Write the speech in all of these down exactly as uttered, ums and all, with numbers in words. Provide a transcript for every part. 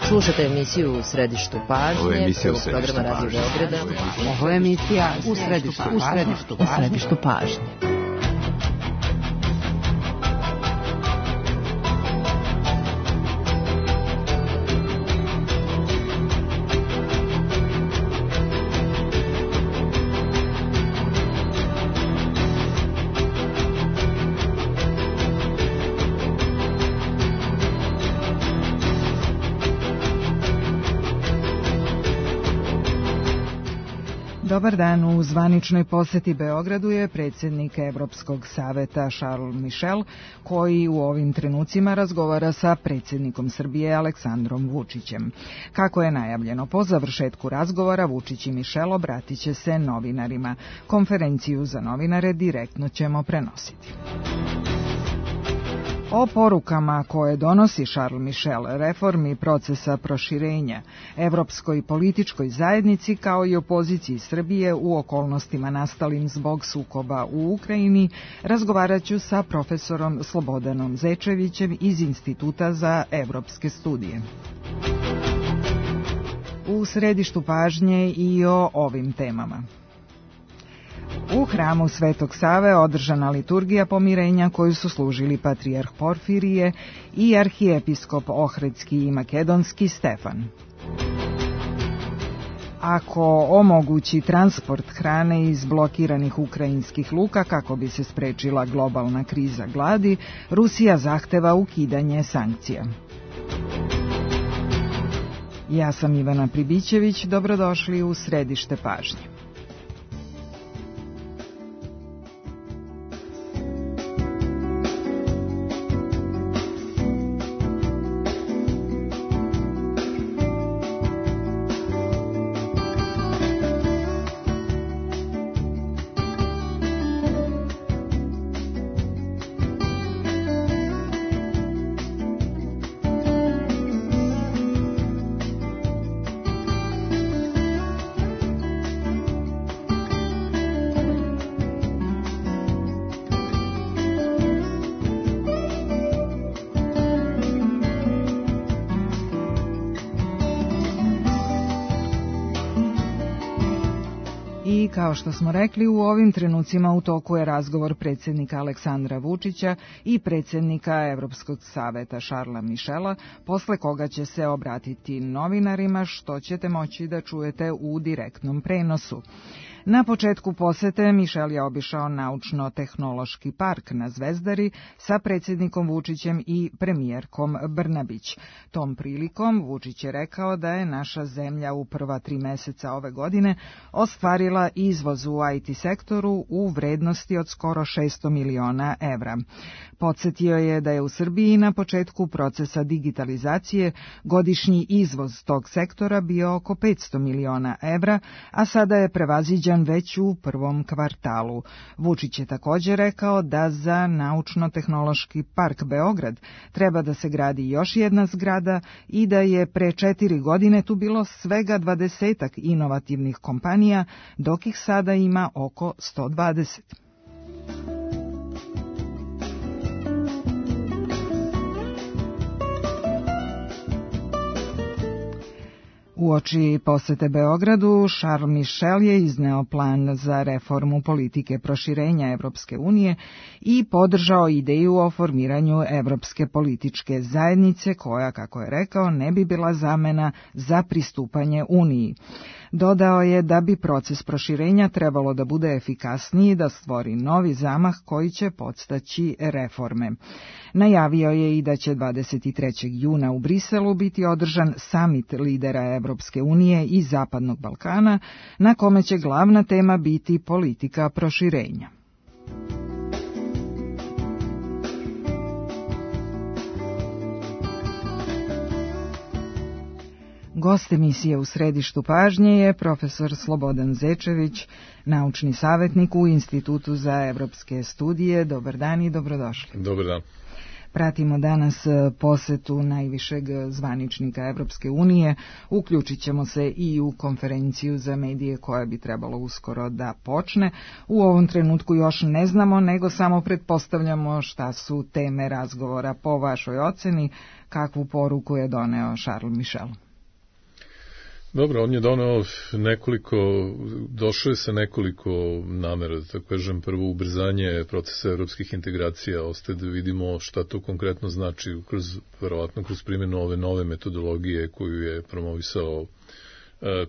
Slušate emisiju U središtu pažnje, Ovo je emisija prvog programa Radio Beograda. Ovo je emisija U središtu pažnje. U središtu pažnje. Dobar dan, u zvaničnoj poseti Beogradu je predsjednik Evropskog saveta Charles Michel, koji u ovim trenucima razgovara sa predsjednikom Srbije Aleksandrom Vučićem. Kako je najavljeno, po završetku razgovora Vučić i Michel obratit će se novinarima. Konferenciju za novinare direktno ćemo prenositi. O porukama koje donosi Charles Michel, reformi procesa proširenja, evropskoj političkoj zajednici kao i opoziciji Srbije u okolnostima nastalim zbog sukoba u Ukrajini, razgovarat ću sa profesorom Slobodanom Zečevićem iz Instituta za evropske studije. U središtu pažnje i o ovim temama. U hramu Svetog Save održana liturgija pomirenja koju su služili patrijarh Porfirije i arhijepiskop Ohridski i Makedonski Stefan. Ako omogući transport hrane iz blokiranih ukrajinskih luka kako bi se sprečila globalna kriza gladi, Rusija zahteva ukidanje sankcija. Ja sam Ivana Pribićević, dobrodošli u središte pažnje. I kao što smo rekli, u ovim trenucima u toku je razgovor predsjednika Aleksandra Vučića i predsjednika Evropskog saveta Charlesa Michela, posle koga će se obratiti novinarima, što ćete moći da čujete u direktnom prenosu. Na početku posete Michel je obišao naučno-tehnološki park na Zvezdari sa predsjednikom Vučićem i premijerkom Brnabić. Tom prilikom Vučić je rekao da je naša zemlja u prva tri meseca ove godine ostvarila izvoz u I T sektoru u vrednosti od skoro šesto miliona evra. Podsjetio je da je u Srbiji na početku procesa digitalizacije godišnji izvoz tog sektora bio oko petsto miliona evra, a sada je prevaziđen već u prvom kvartalu. Vučić je također rekao da za Naučno-tehnološki park Beograd treba da se gradi još jedna zgrada i da je pre četiri godine tu bilo svega dvadesetak inovativnih kompanija, dok ih sada ima oko sto dvadeset. Uoči posete Beogradu, Charles Michel je izneo plan za reformu politike proširenja Evropske unije i podržao ideju o formiranju Evropske političke zajednice koja, kako je rekao, ne bi bila zamena za pristupanje Uniji. Dodao je da bi proces proširenja trebalo da bude efikasniji, da stvori novi zamah koji će podstaći reforme. Najavio je i da će dvadeset trećeg juna u Briselu biti održan samit lidera Evropske unije i Zapadnog Balkana, na kome će glavna tema biti politika proširenja. Gost emisije U središtu pažnje je profesor Slobodan Zečević, naučni savjetnik u Institutu za evropske studije. Dobar dan i dobrodošli. Dobar dan. Pratimo danas posetu najvišeg zvaničnika Evropske unije. Uključit ćemo se i u konferenciju za medije koja bi trebalo uskoro da počne. U ovom trenutku još ne znamo, nego samo pretpostavljamo šta su teme razgovora. Po vašoj oceni, kakvu poruku je doneo Charles Michel? Dobro, on je doneo nekoliko, došao je sa nekoliko namera, da tako kažem, prvo ubrzanje procesa evropskih integracija, ostaje da vidimo šta to konkretno znači, kroz, verovatno kroz primjenu ove nove metodologije koju je promovisao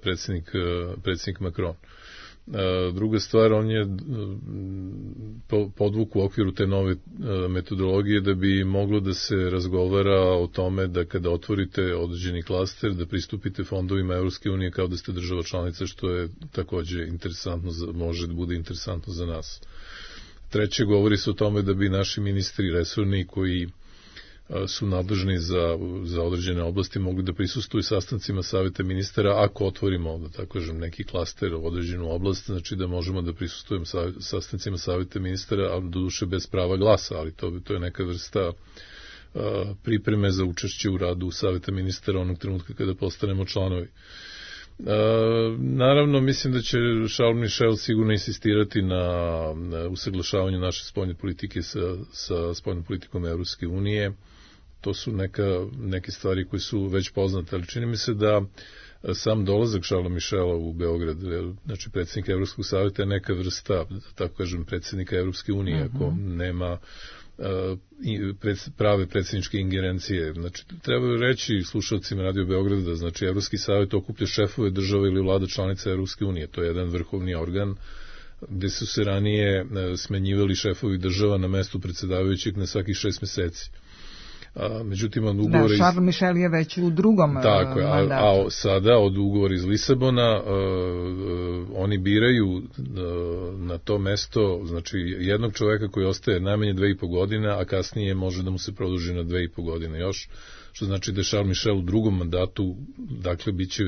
predsjednik, predsjednik Macron. Druga stvar, on je podvuk u okviru te nove metodologije da bi moglo da se razgovara o tome da kada otvorite određeni klaster, da pristupite fondovima Evropske unije kao da ste država članica, što je takođe interesantno, može da bude interesantno za nas. Treće, govori se o tome da bi naši ministri resorni koji su nadležni za, za određene oblasti mogli da prisustuju sastancima saveta ministara ako otvorimo, da tako kažem, neki klaster u određenu oblast, znači da možemo da prisustujemo sastancima saveta ministara, ali doduše bez prava glasa, ali to, to je neka vrsta a, pripreme za učešće u radu saveta ministara onog trenutka kada postanemo članovi. Uh, naravno, mislim da će Charles Michel sigurno insistirati na, na usaglašavanju naše spoljne politike sa, sa spoljnom politikom Evropske unije. To su neka, neke stvari koje su već poznate, ali čini mi se da sam dolazak Charlesa Michela u Beograd, znači predsjednika Evropskog savjeta, je neka vrsta, tako kažem, predsjednika Evropske unije, uh-huh. ako nema prave predsjedničke ingerencije. Znači, treba reći slušalcima Radio Beograda da znači Evropski savjet okuplja šefove države ili vlada članica Evropske unije. To je jedan vrhovni organ gde su se ranije smenjivali šefovi država na mestu predsjedavajućeg na svakih šest meseci. A, međutim, od ugovora... Da, Charles Michel je već u drugom tako, mandatu. A, a sada, od ugovora iz Lisabona, a, a, oni biraju a, na to mesto, znači, jednog čoveka koji ostaje najmanje dve i po godine, a kasnije može da mu se produži na dve i po godine još, što znači da je Charles Michel u drugom mandatu, dakle, bit će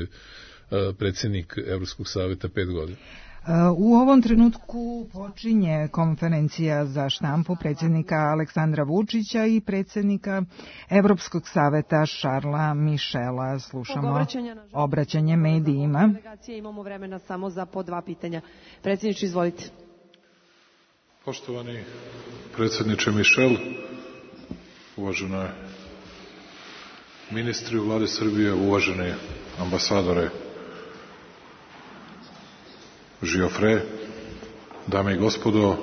a, predsjednik Evropskog savjeta pet godina. U ovom trenutku počinje konferencija za štampu predsjednika Aleksandra Vučića i predsjednika Evropskog saveta Charlesa Michela. Slušamo obraćanje medijima. Imamo vremena samo za po dva pitanja. Predsjedniče, izvolite. Poštovani predsjedniče Michel, uvažene ministri u vladi Srbije, uvažene ambasadore Žiofre, dame i gospodo,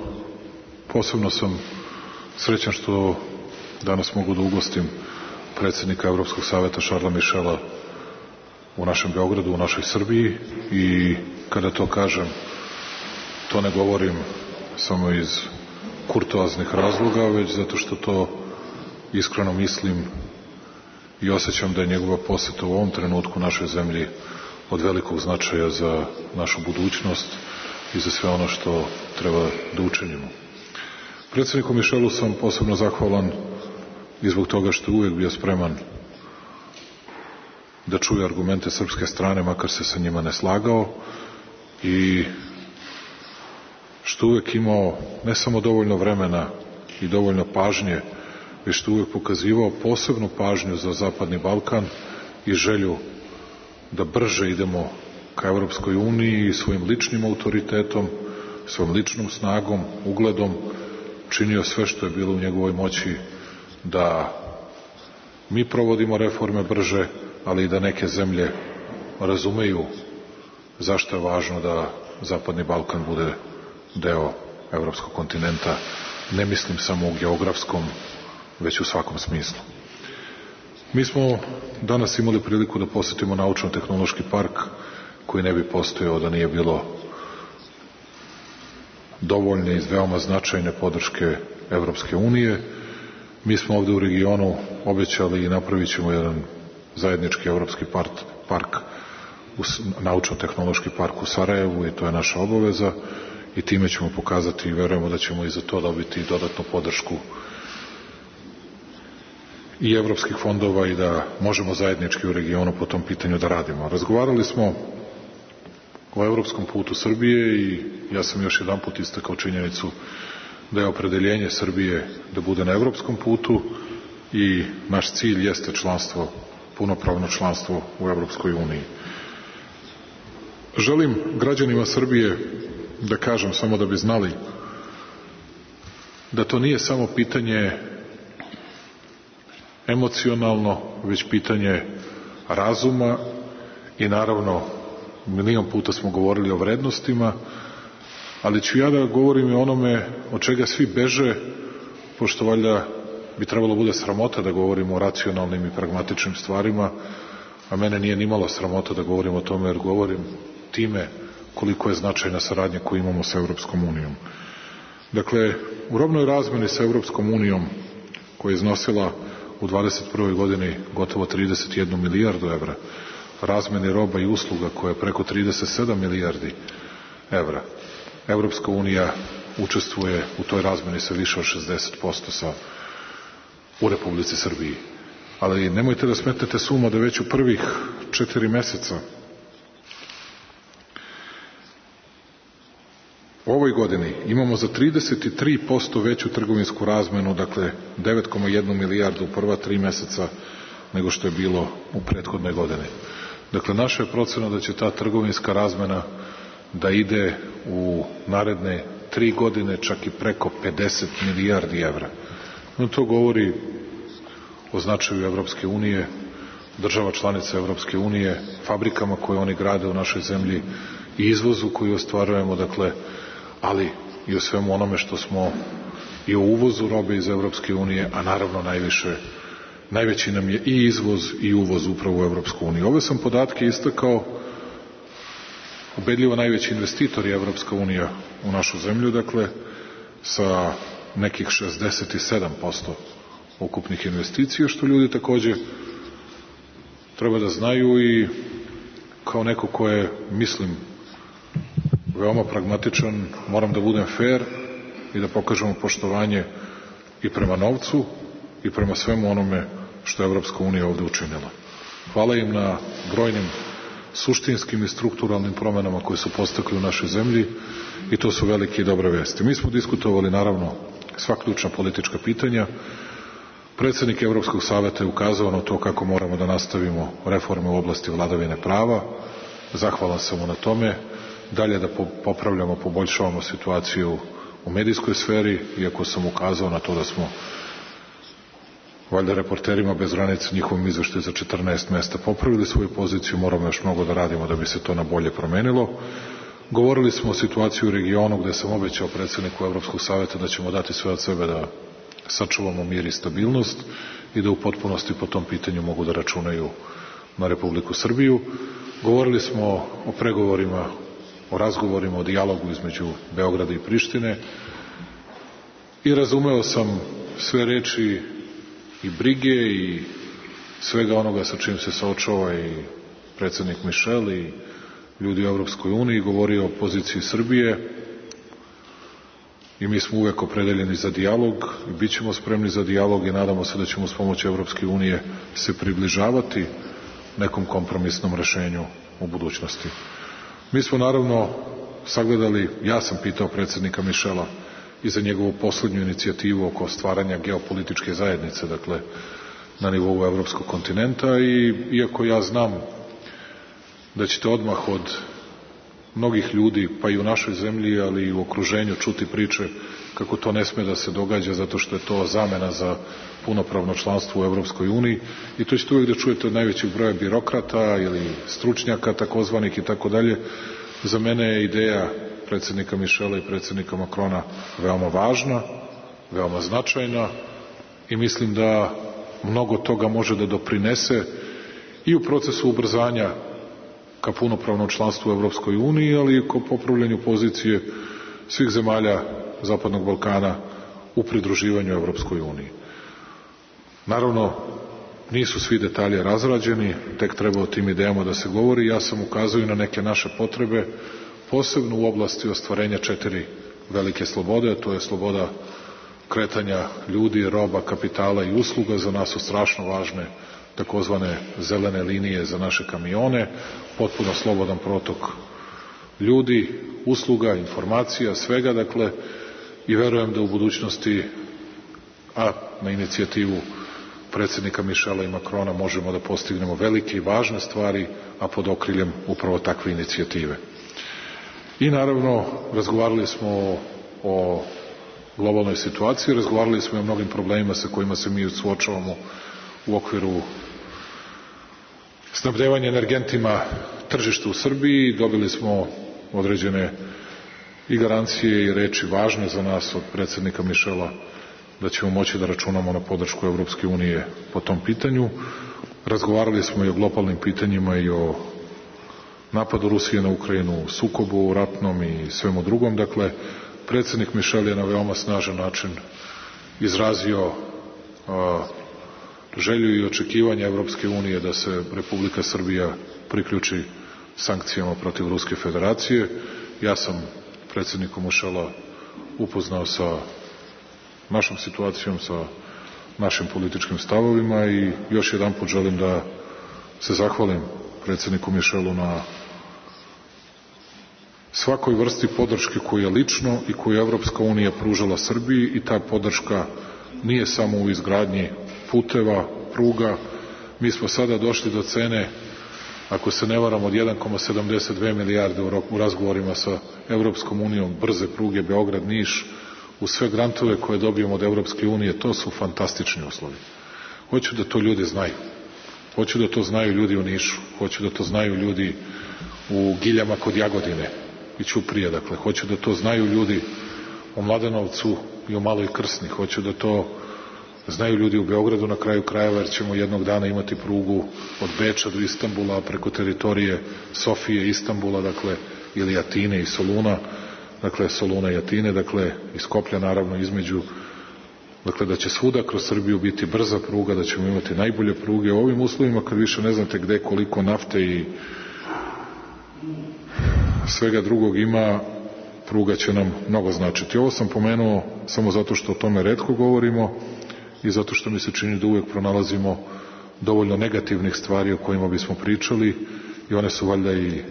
posebno sam srećan što danas mogu da ugostim predsjednika Evropskog savjeta Charlesa Michela u našem Beogradu, u našoj Srbiji, i kada to kažem, to ne govorim samo iz kurtoaznih razloga, već zato što to iskreno mislim i osjećam da je njegova poseta u ovom trenutku našoj zemlji od velikog značaja za našu budućnost i za sve ono što treba da učinimo. Predsjedniku Michelu sam posebno zahvalan i zbog toga što je uvijek bio spreman da čuje argumente srpske strane, makar se sa njima ne slagao, i što uvijek imao ne samo dovoljno vremena i dovoljno pažnje, već što uvijek pokazivao posebnu pažnju za Zapadni Balkan i želju da brže idemo ka Evropskoj uniji i svojim ličnim autoritetom, svojom ličnom snagom, ugledom, činio sve što je bilo u njegovoj moći da mi provodimo reforme brže, ali i da neke zemlje razumeju zašto je važno da Zapadni Balkan bude deo evropskog kontinenta. Ne mislim samo u geografskom, već u svakom smislu. Mi smo danas imali priliku da posetimo naučno-tehnološki park koji ne bi postojao da nije bilo dovoljne i veoma značajne podrške Evropske unije. Mi smo ovde u regionu obećali i napravit ćemo jedan zajednički evropski park, park naučno-tehnološki park u Sarajevu, i to je naša obaveza, i time ćemo pokazati i verujemo da ćemo i za to dobiti dodatnu podršku i evropskih fondova i da možemo zajednički u regionu po tom pitanju da radimo. Razgovarali smo o evropskom putu Srbije i ja sam još jedan put istakao činjenicu da je opredeljenje Srbije da bude na evropskom putu i naš cilj jeste članstvo, punopravno članstvo u Evropskoj uniji. Želim građanima Srbije da kažem, samo da bi znali, da to nije samo pitanje emocionalno, već pitanje razuma i naravno milion puta smo govorili o vrednostima, ali ću ja da govorim i onome od čega svi beže, pošto valjda bi trebalo bude sramota da govorimo o racionalnim i pragmatičnim stvarima, a mene nije nimalo sramota da govorim o tome, jer govorim time koliko je značajna saradnja koju imamo sa Evropskom unijom. Dakle, u robnoj razmeni sa Evropskom unijom, koja je iznosila u dvadeset prvoj godini gotovo trideset jednu milijardu evra, razmeni roba i usluga koja je preko trideset sedam milijardi evra, Evropska unija učestvuje u toj razmeni sa više od šezdeset posto sa, u Republici Srbiji. Ali nemojte da smetnete suma da već u prvih četiri meseca u ovoj godini imamo za trideset tri posto veću trgovinsku razmenu, dakle devet zarez jedna milijardu u prva tri meseca nego što je bilo u prethodnoj godini. Dakle, naša je procena da će ta trgovinska razmena da ide u naredne tri godine čak i preko pedeset milijardi evra. No, to govori o značaju Evropske unije, država članica Evropske unije, fabrikama koje oni grade u našoj zemlji i izvozu koji ostvarujemo, dakle, ali i o svemu onome što smo i o uvozu robe iz Evropske unije, a naravno najviše, najveći nam je i izvoz i uvoz upravo u Evropsku uniju. Ove sam podatke istakao, ubedljivo najveći investitor je Evropska unija u našu zemlju, dakle, sa nekih šezdeset sedam posto ukupnih investicija, što ljudi takođe treba da znaju i kao neko ko je, mislim, veoma pragmatičan, moram da budem fair i da pokažemo poštovanje i prema novcu i prema svemu onome što je Evropska unija ovde učinila. Hvala im na brojnim suštinskim i strukturalnim promenama koje su postakli u našoj zemlji i to su velike i dobre vesti. Mi smo diskutovali naravno sva ključna politička pitanja. Predsednik Evropskog saveta je ukazao na to kako moramo da nastavimo reforme u oblasti vladavine prava. Zahvalan sam mu na tome. Dalje da popravljamo, poboljšavamo situaciju u medijskoj sferi, iako sam ukazao na to da smo valjda reporterima bez granica njihovom izveštaju za četrnaest mesta popravili svoju poziciju, moramo još mnogo da radimo da bi se to na bolje promenilo. Govorili smo o situaciji u regionu gde sam obećao predsedniku Evropskog saveta da ćemo dati sve od sebe da sačuvamo mir i stabilnost i da u potpunosti po tom pitanju mogu da računaju na Republiku Srbiju. Govorili smo o pregovorima, o razgovorima, o dijalogu između Beograda i Prištine i razumeo sam sve reči i brige i svega onoga sa čim se saočava i predsednik Mišel i ljudi u Evropskoj uniji, govorio o poziciji Srbije i mi smo uvek opredeljeni za dijalog i bit ćemo spremni za dijalog i nadamo se da ćemo s pomoću Evropske unije se približavati nekom kompromisnom rešenju u budućnosti. Mi smo naravno sagledali, ja sam pitao predsednika Mišela i za njegovu poslednju inicijativu oko stvaranja geopolitičke zajednice, dakle, na nivou evropskog kontinenta i iako ja znam da ćete odmah od mnogih ljudi, pa i u našoj zemlji, ali i u okruženju čuti priče kako to ne sme da se događa zato što je to zamena za punopravno članstvo u Evropskoj uniji i to ćete uvijek da čujete od najvećeg broja birokrata ili stručnjaka takozvanih i tako dalje. Za mene je ideja predsednika Mišela i predsednika Makrona veoma važna, veoma značajna i mislim da mnogo toga može da doprinese i u procesu ubrzanja ka punopravnom članstvu u Evropskoj uniji, ali i ko popravljanju pozicije svih zemalja Zapadnog Balkana u pridruživanju Evropskoj uniji. Naravno, nisu svi detalje razrađeni, tek treba o tim idejama da se govori. Ja sam ukazao i na neke naše potrebe, posebno u oblasti ostvarenja četiri velike slobode, a to je sloboda kretanja ljudi, roba, kapitala i usluga. Za nas su strašno važne takozvane zelene linije za naše kamione, potpuno slobodan protok ljudi, usluga, informacija, svega, dakle, i verujem da u budućnosti, a na inicijativu predsjednika Mišela i Makrona možemo da postignemo velike i važne stvari, a pod okriljem upravo takve inicijative. I naravno, razgovarali smo o, o globalnoj situaciji, razgovarali smo i o mnogim problemima sa kojima se mi suočavamo u okviru snabdevanja energentima tržišta u Srbiji. Dobili smo određene i garancije i reči važne za nas od predsjednika Mišela da ćemo moći da računamo na podršku Evropske unije po tom pitanju. Razgovarali smo i o globalnim pitanjima i o napadu Rusije na Ukrajinu, sukobu ratnom i svemu drugom. Dakle, predsjednik Mišel je na veoma snažan način izrazio a, želju i očekivanja Evropske unije da se Republika Srbija priključi sankcijama protiv Ruske federacije. Ja sam predsjednikom Mišela upoznao sa našom situacijom, sa našim političkim stavovima i još jedan put želim da se zahvalim predsjedniku Mišelu na svakoj vrsti podrške koju je lično i koju je Evropska unija pružala Srbiji, i ta podrška nije samo u izgradnji puteva, pruga. Mi smo sada došli do cene, ako se ne varam, od jedan zarez sedamdeset dve milijarde u razgovorima sa Evropskom unijom, brze pruge Beograd-Niš, u sve grantove koje dobijemo od Evropske unije. To su fantastični uslovi. Hoću da to ljudi znaju. Hoću da to znaju ljudi u Nišu. Hoću da to znaju ljudi u Giljama kod Jagodine i Ćuprije. Dakle, hoću da to znaju ljudi u Mladenovcu i u Maloj Krsni. Hoću da to znaju ljudi u Beogradu na kraju krajeva, jer ćemo jednog dana imati prugu od Beča do Istanbula preko teritorije Sofije, Istanbula, dakle, ili Atine i Soluna, dakle, Soluna i Atine, dakle, i Skoplja naravno između, dakle, da će svuda kroz Srbiju biti brza pruga, da ćemo imati najbolje pruge. U ovim uslovima, kad više ne znate gde koliko nafte i svega drugog ima, pruga će nam mnogo značiti. Ovo sam pomenuo samo zato što o tome retko govorimo i zato što mi se čini da uvek pronalazimo dovoljno negativnih stvari o kojima bismo pričali, i one su valjda i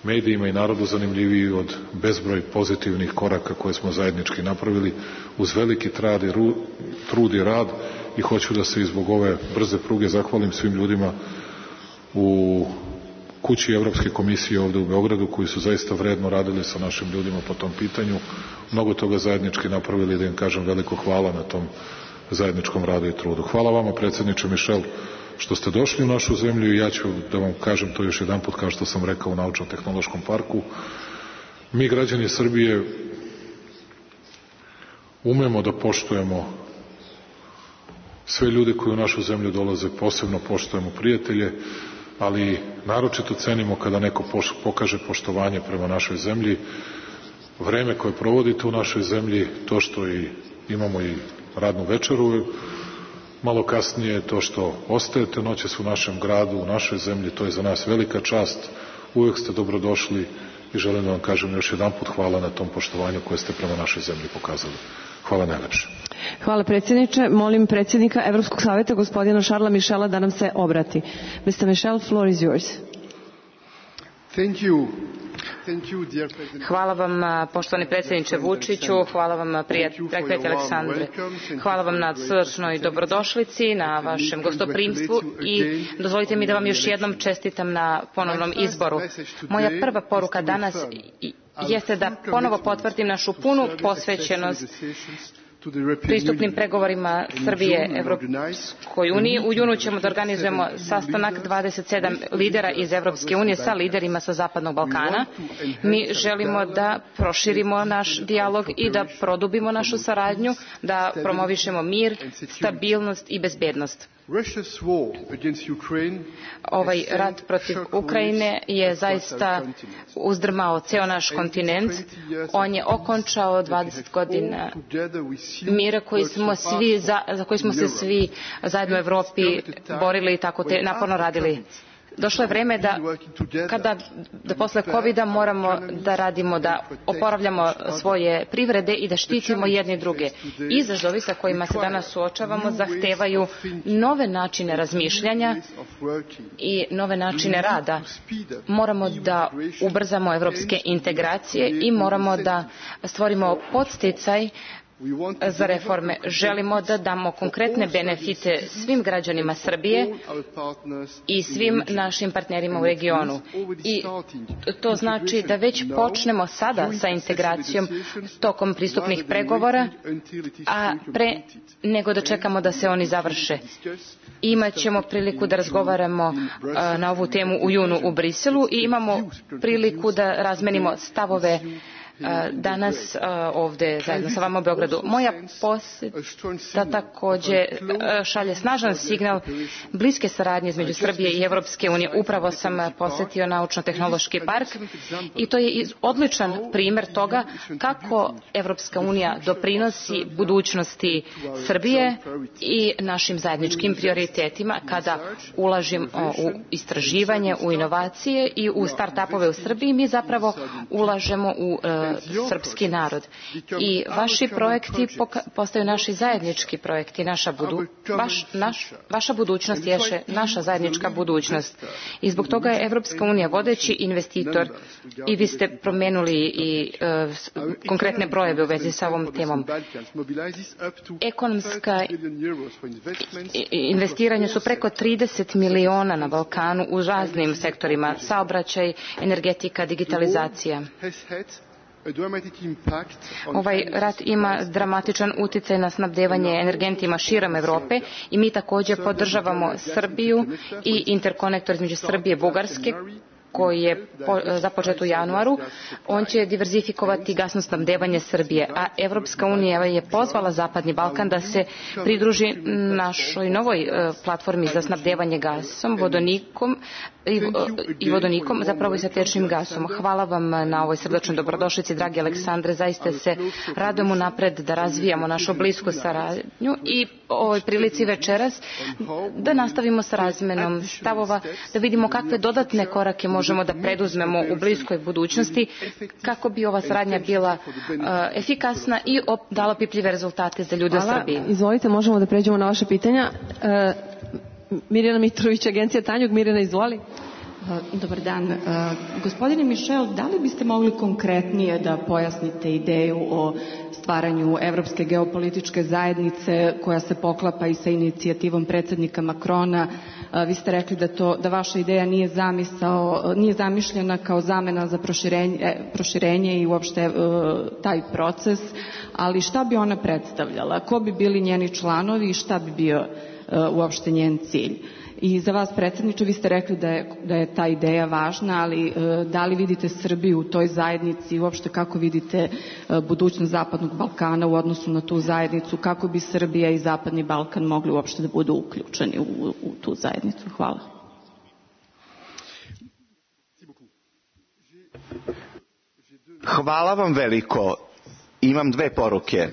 medijima i narodu zanimljiviji od bezbroj pozitivnih koraka koje smo zajednički napravili uz veliki trad i, ru, trud i rad. I hoću da se i zbog ove brze pruge zahvalim svim ljudima u kući Evropske komisije ovde u Beogradu, koji su zaista vredno radili sa našim ljudima po tom pitanju, mnogo toga zajednički napravili, da im kažem veliko hvala na tom zajedničkom radu i trudu. Hvala vama, predsjedniče Mišel, što ste došli u našu zemlju, i ja ću da vam kažem to još jedan put, kao što sam rekao u Naučno-tehnološkom parku. Mi, građani Srbije, umemo da poštujemo sve ljude koji u našu zemlju dolaze, posebno poštujemo prijatelje, ali naročito cenimo kada neko pokaže poštovanje prema našoj zemlji, vreme koje provodite u našoj zemlji, to što i imamo i radnu večeru malo kasnije, to što ostajete noćas u našem gradu, u našoj zemlji, to je za nas velika čast. Uvek ste dobrodošli i želim da vam kažem još jedan put hvala na tom poštovanju koje ste prema našoj zemlji pokazali. Hvala najlepše. Hvala predsjedniče. Molim predsjednika Evropskog saveta, gospodina Šarla Mišela, da nam se obrati. mister Michel, floor is yours. Thank you. Thank you, dear President. Hvala vam, poštovani predsjedniče Vučiću, hvala vam, prijatelj Aleksandre. Hvala vam na srdačnoj dobrodošlici, na vašem gostoprimstvu, i dozvolite mi da vam još jednom čestitam na ponovnom izboru. Moja prva poruka danas jeste da ponovo potvrdim našu punu posvećenost pristupnim pregovorima Srbije Evropskoj uniji. U junu ćemo da organizujemo sastanak dvadeset sedam lidera iz Evropske unije sa liderima sa Zapadnog Balkana. Mi želimo da proširimo naš dijalog i da produbimo našu saradnju, da promovišemo mir, stabilnost i bezbednost. Ovaj rat protiv Ukrajine je zaista uzdrmao ceo naš kontinent. On je okončao dvadeset godina mira koji smo svi, za, za koji smo se svi zajedno u Evropi borili i tako te, naporno radili. Došlo je vreme da, kada, da posle kovida moramo da radimo, da oporavljamo svoje privrede i da štitimo jedni druge. Izazovi sa kojima se danas suočavamo zahtevaju nove načine razmišljanja i nove načine rada. Moramo da ubrzamo evropske integracije i moramo da stvorimo podsticaj za reforme. Želimo da damo konkretne benefite svim građanima Srbije i svim našim partnerima u regionu. I to znači da već počnemo sada sa integracijom tokom pristupnih pregovora, a pre nego da čekamo da se oni završe. Imaćemo priliku da razgovaramo na ovu temu u junu u Briselu i imamo priliku da razmenimo stavove danas ovde zajedno sa vama u Beogradu. Moja poseta takođe šalje snažan signal bliske saradnje između Srbije i Evropske unije. Upravo sam posetio Naučno-tehnološki park i to je odličan primer toga kako Evropska unija doprinosi budućnosti Srbije i našim zajedničkim prioritetima kada ulažemo u istraživanje, u inovacije i u start-upove u Srbiji. Mi zapravo ulažemo u srpski narod. I vaši projekti postaju naši zajednički projekti, naša, budu, vaš, naš, vaša budućnost ješe naša zajednička budućnost. I zbog toga je Evropska unija vodeći investitor i vi ste promenuli i uh, konkretne brojeve u vezi sa ovom temom. Ekonomska investiranja su preko trideset miliona na Balkanu u raznim sektorima, saobraćaj, energetika, digitalizacija. Ovaj rat ima dramatičan uticaj na snabdevanje energentima širom Evrope i mi takođe podržavamo Srbiju i interkonektor između Srbije i Bugarske koji je započet u januaru. On će diverzifikovati gasno snabdevanje Srbije, a Evropska unija je pozvala Zapadni Balkan da se pridruži našoj novoj platformi za snabdevanje gasom, vodonikom i, i vodonikom, zapravo i sa tečnim gasom. Hvala vam na ovoj srdačnoj dobrodošlici, dragi Aleksandre. Zaista se radujemo napred da razvijamo našu blisku saradnju i ovoj prilici večeras da nastavimo sa razmenom stavova, da vidimo kakve dodatne korake možemo da preduzmemo u bliskoj budućnosti kako bi ova saradnja bila uh, efikasna i dala pipljive rezultate za ljude u Srbiji. Izvolite, možemo da pređemo na vaše pitanja. Uh, Mirjana Mitrović, Agencija Tanjug. Mirjana, izvoli. Dobar dan. Gospodine Mišel, da li biste mogli konkretnije da pojasnite ideju o stvaranju Evropske geopolitičke zajednice koja se poklapa i sa inicijativom predsednika Makrona? Vi ste rekli da, to, da vaša ideja nije, zamisao, nije zamišljena kao zamena za proširenje, proširenje i uopšte taj proces, ali šta bi ona predstavljala? Ko bi bili njeni članovi i šta bi bio uopšte njen cilj? I za vas, predsjedniče, vi ste rekli da je, da je ta ideja važna, ali e, da li vidite Srbiju u toj zajednici i uopšte kako vidite e, budućnost Zapadnog Balkana u odnosu na tu zajednicu, kako bi Srbija i Zapadni Balkan mogli uopšte da budu uključeni u, u tu zajednicu? Hvala. Hvala vam veliko. Imam dve poruke.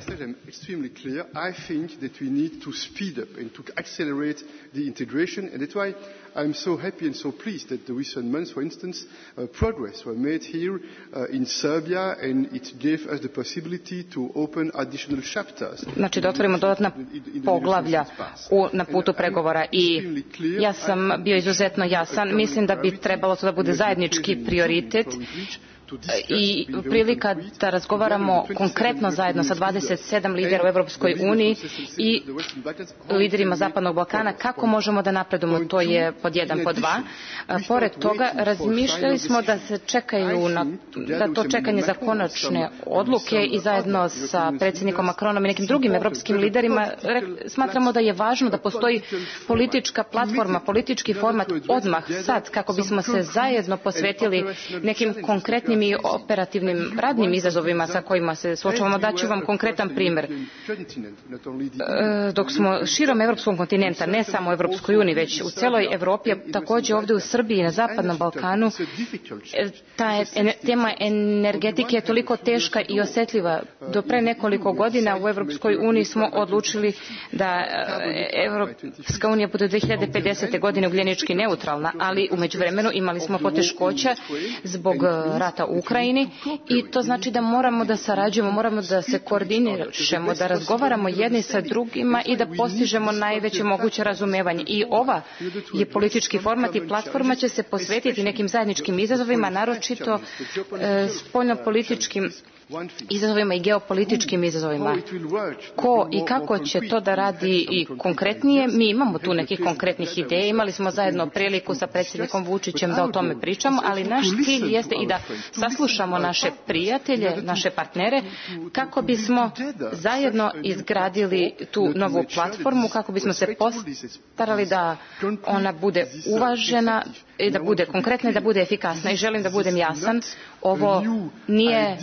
I think that we need to speed up and to accelerate the integration, and that's why I'm so happy and so pleased that the recent months, for instance, uh, progress were made here uh, in Serbia, and it gave us the possibility to open additional chapters. Znači da otvorimo dodatna poglavlja u, na putu pregovora i ja sam bio izuzetno jasan. Mislim da bi trebalo to da bude zajednički prioritet i prilika da razgovaramo konkretno zajedno sa dvadeset sedam lidera u Evropskoj uniji i liderima Zapadnog Balkana kako možemo da napredujemo. To je pod jedan, pod dva. Pored toga razmišljali smo da se čekaju na, da to čekanje za konačne odluke i zajedno sa predsjednikom Macronom i nekim drugim evropskim liderima smatramo da je važno da postoji politička platforma, politički format odmah sad kako bismo se zajedno posvetili nekim konkretnim i operativnim radnim izazovima sa kojima se suočavamo. Daću vam konkretan primer. Dok smo širom evropskog kontinenta, ne samo u Evropskoj uniji, već u celoj Evropi, takođe ovde u Srbiji i na Zapadnom Balkanu, ta tema energetike je toliko teška i osetljiva. Do pre nekoliko godina u Evropskoj uniji smo odlučili da Evropska unija bude u dve hiljade pedesete. godine ugljenički neutralna, ali u međuvremenu imali smo poteškoća zbog rata u Ukrajini i to znači da moramo da sarađujemo, moramo da se koordinišemo, da razgovaramo jedni sa drugima i da postižemo najveće moguće razumevanje. I ova je politički format i platforma će se posvetiti nekim zajedničkim izazovima, naročito e, spoljnopolitičkim izazovima i geopolitičkim izazovima. Ko i kako će to da radi i konkretnije, mi imamo tu nekih konkretnih ideja, imali smo zajedno priliku sa predsjednikom Vučićem da o tome pričamo, ali naš cilj jeste i da saslušamo naše prijatelje, naše partnere, kako bismo zajedno izgradili tu novu platformu, kako bismo se postarali da ona bude uvažena, da bude konkretna i da bude efikasna. I želim da budem jasan, ovo nije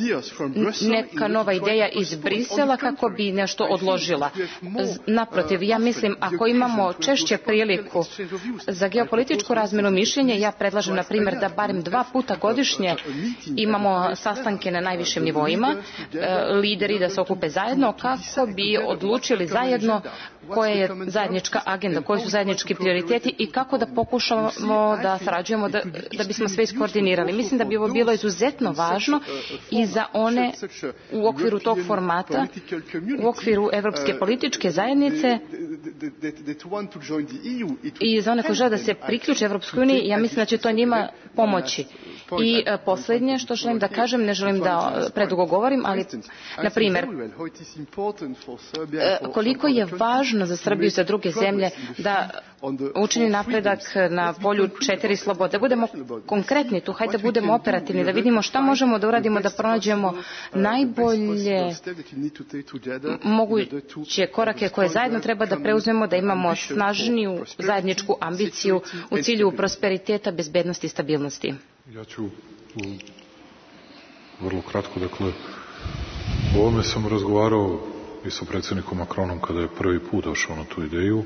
neka nova ideja iz Brisela kako bi nešto odložila. Naprotiv, ja mislim, ako imamo češće priliku za geopolitičku razmjenu mišljenja, ja predlažem, na primjer, da barem dva puta godišnje imamo sastanke na najvišim nivoima, lideri da se okupe zajedno kako bi odlučili zajedno koja je zajednička agenda, koji su zajednički prioriteti i kako da pokušamo da sarađujemo da, da bismo sve iskoordinirali. Mislim da bi ovo bilo izuzetno važno i za one u okviru tog formata, u okviru Evropske političke zajednice i za one koji žele da se priključe Evropskoj uniji, ja mislim da će to njima pomoći. I e, posljednje što želim da kažem, ne želim da predugo govorim, ali, na primjer, e, koliko je važno za Srbiju i za druge zemlje da učini napredak na polju četiri slobode. Da budemo konkretni tu, hajde da budemo operativni, da vidimo šta možemo da uradimo, da pronađemo najbolje moguće korake koje zajedno treba da preuzmemo, da imamo snažniju zajedničku ambiciju u cilju prosperiteta, bezbednosti i stabilnosti. Ja ću vrlo kratko, dakle, o ovome sam razgovarao i sa predsjednikom Macronom kada je prvi put došao na tu ideju.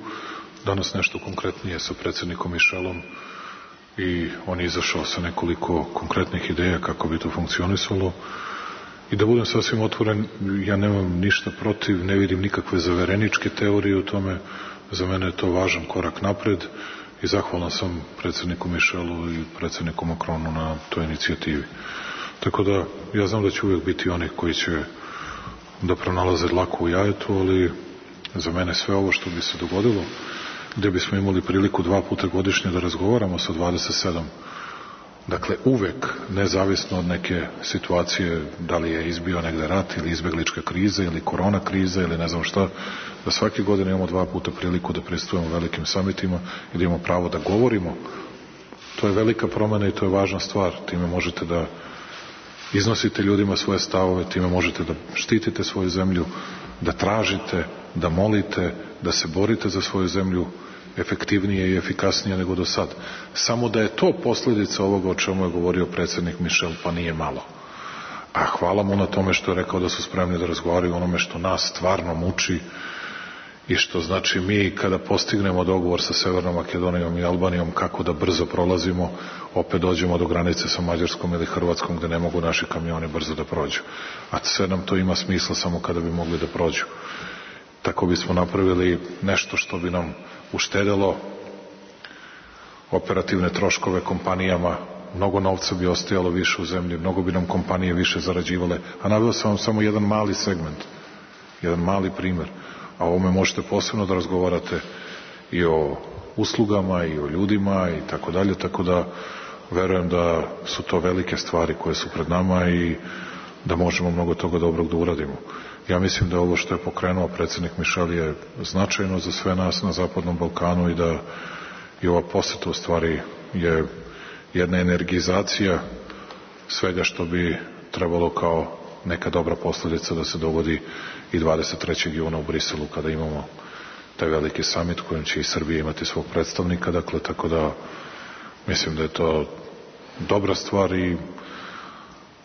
Danas nešto konkretnije sa predsjednikom Michelom i on je izašao sa nekoliko konkretnih ideja kako bi to funkcionisalo. I da budem sasvim otvoren, ja nemam ništa protiv, ne vidim nikakve zavereničke teorije u tome. Za mene je to važan korak napred i zahvalan sam predsjedniku Michelu i predsjedniku Macronu na toj inicijativi. Tako da, ja znam da će uvijek biti oni koji će da pronalaze dlaku u jajetu, ali za mene sve ovo što bi se dogodilo, gde bismo imali priliku dva puta godišnje da razgovaramo sa dvadeset sedam, dakle uvek, nezavisno od neke situacije, da li je izbio negde rat ili izbeglička kriza ili korona kriza ili ne znam šta, da svake godine imamo dva puta priliku da pristupujemo velikim samitima i da imamo pravo da govorimo. To je velika promena i to je važna stvar. Time možete da iznosite ljudima svoje stavove, time možete da štitite svoju zemlju, da tražite, da molite, da se borite za svoju zemlju efektivnije i efikasnije nego do sad. Samo da je to posljedica ovoga o čemu je govorio predsjednik Michel, pa nije malo. A hvala mu na tome što je rekao da su spremni da razgovaraju onome što nas stvarno muči i što znači mi kada postignemo dogovor sa Severnom Makedonijom i Albanijom kako da brzo prolazimo, opet dođemo do granice sa Mađarskom ili Hrvatskom gde ne mogu naši kamioni brzo da prođu. A sve nam to ima smisla samo kada bi mogli da prođu. Tako bismo napravili nešto što bi nam uštedelo operativne troškove kompanijama, mnogo novca bi ostajalo više u zemlji, mnogo bi nam kompanije više zarađivale, a naveo sam vam samo jedan mali segment, jedan mali primer, a o ovome možete posebno da razgovarate i o uslugama i o ljudima i tako dalje, tako da verujem da su to velike stvari koje su pred nama i da možemo mnogo toga dobrog da uradimo. Ja mislim da ovo što je pokrenuo predsjednik Michel je značajno za sve nas na Zapadnom Balkanu i da i ova poseta u stvari je jedna energizacija svega što bi trebalo kao neka dobra posljedica da se dogodi i dvadeset trećeg juna u Briselu kada imamo taj veliki samit kojim će i Srbija imati svog predstavnika, dakle, tako da mislim da je to dobra stvar i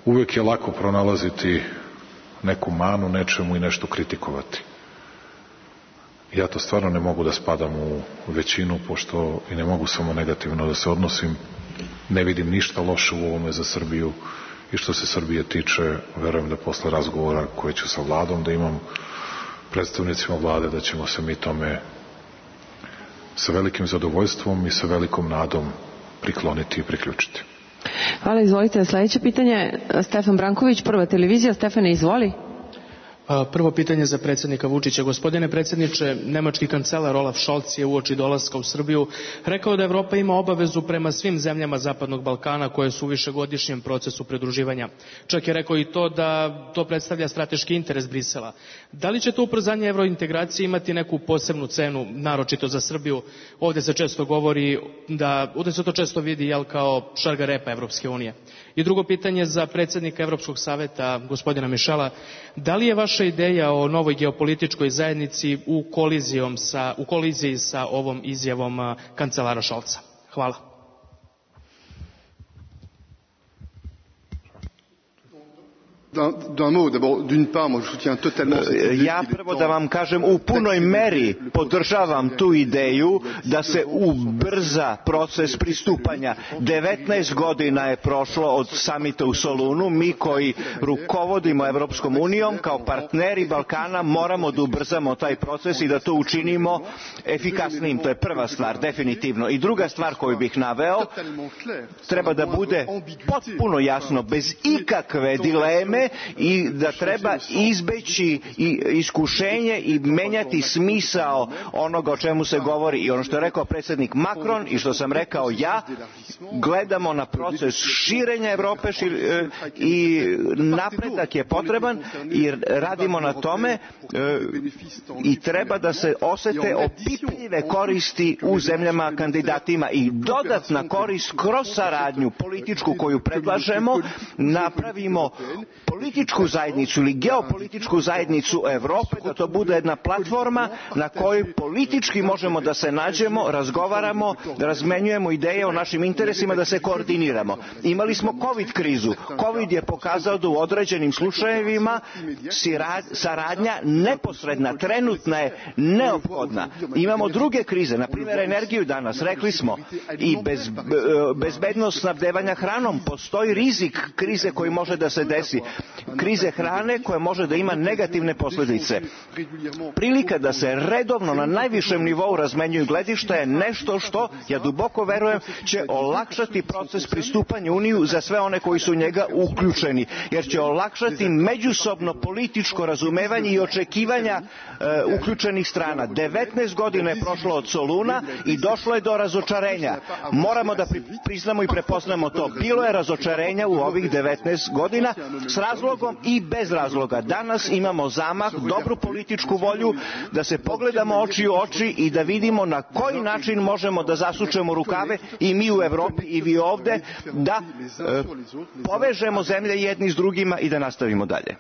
uvek je lako pronalaziti neku manu nečemu i nešto kritikovati. Ja to stvarno ne mogu da spadam u većinu, pošto i ne mogu samo negativno da se odnosim. Ne vidim ništa loše u ovome za Srbiju i što se Srbije tiče, verujem da posle razgovora koje ću sa vladom da imam, predstavnicima vlade, da ćemo se mi tome sa velikim zadovoljstvom i sa velikom nadom prikloniti i priključiti. Hvala, izvolite. Sljedeće pitanje, Stefan Branković, Prva televizija. Stefane, izvoli. Prvo pitanje za predsjednika Vučića. Gospodine predsjedniče, nemački kancelar Olaf Scholz je uoči dolaska u Srbiju rekao da Evropa ima obavezu prema svim zemljama Zapadnog Balkana koje su u višegodišnjem procesu pridruživanja. Čak je rekao i to da to predstavlja strateški interes Brisela. Da li će to ubrzanje evrointegracije imati neku posebnu cenu, naročito za Srbiju? Ovdje se često govori da, ovdje se to često vidi jel, kao šargarepa Evropske unije. I drugo pitanje za predsjednika Evropskog saveta, gospodina Mišela. Da li je vaša ideja o novoj geopolitičkoj zajednici u, sa, u koliziji sa ovom izjavom kancelara Scholza? Hvala. Ja prvo da vam kažem, u punoj meri podržavam tu ideju da se ubrza proces pristupanja. devetnaest godina je prošlo od samita u Solunu. Mi koji rukovodimo Evropskom unijom kao partneri Balkana moramo da ubrzamo taj proces i da to učinimo efikasnijim. To je prva stvar, definitivno. I druga stvar koju bih naveo, treba da bude potpuno jasno, bez ikakve dileme, i da treba izbeći iskušenje i menjati smisao onoga o čemu se govori. I ono što je rekao predsjednik Macron i što sam rekao ja, gledamo na proces širenja Evrope šir, i napredak je potreban i radimo na tome i treba da se osete opipljive koristi u zemljama kandidatima i dodatna korist kroz saradnju političku koju predlažemo, napravimo političku zajednicu ili geopolitičku zajednicu Evrope, da to bude jedna platforma na kojoj politički možemo da se nađemo, razgovaramo, da razmenjujemo ideje o našim interesima, da se koordiniramo. Imali smo COVID krizu. COVID je pokazao da u određenim slučajevima saradnja neposredna, trenutna je neophodna. Imamo druge krize, na primjer energiju danas, rekli smo, i bez, bezbednost snabdevanja hranom. Postoji rizik krize koji može da se desi. Krize hrane koja može da ima negativne posljedice. Prilika da se redovno na najvišem nivou razmenjuju gledišta je nešto što, ja duboko verujem, će olakšati proces pristupanja Uniju za sve one koji su u njega uključeni, jer će olakšati međusobno političko razumevanje i očekivanja e, uključenih strana. devetnaest godina je prošlo od Soluna i došlo je do razočarenja. Moramo da priznamo i prepoznamo to. Bilo je razočarenja u ovih devetnaest godina s razlogom i bez razloga. Danas imamo zamah, dobru političku volju da se pogledamo oči u oči i da vidimo na koji način možemo da zasučemo rukave i mi u Evropi i vi ovde, da e, povežemo zemlje jedni s drugima i da nastavimo dalje.